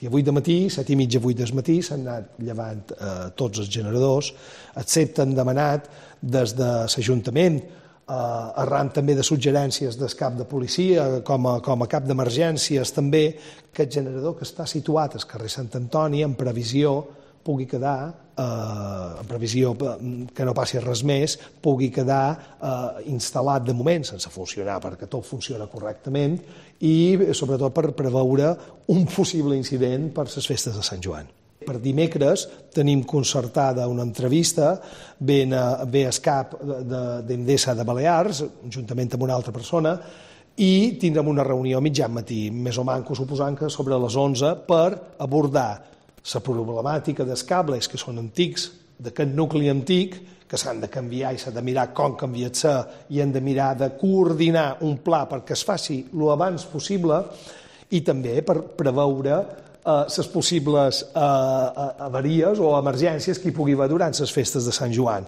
I a 8 de matí, 7 i mitja, 8 del matí, s'han anat llevant tots els generadors, excepte han demanat des de l'Ajuntament, arran també de suggerències del cap de policia, com a cap d'emergències també, que el generador que està situat al carrer Sant Antoni, en previsió pugui quedar, en previsió que no passi res més, pugui quedar instal·lat de moment, sense funcionar, perquè tot funciona correctament, i sobretot per preveure un possible incident per les festes de Sant Joan. Per dimecres tenim concertada una entrevista, ve el cap d'Endesa de Balears, juntament amb una altra persona, i tindrem una reunió a mitjan matí, més o manco suposant que sobre les 11, per abordar la problemàtica dels cables que són antics, d'aquest nucli antic, que s'han de canviar i s'ha de mirar com canviar-se i hem de mirar de coordinar un pla perquè es faci el abans possible i també per preveure les possibles avaries o emergències que hi pugui haver durant les festes de Sant Joan.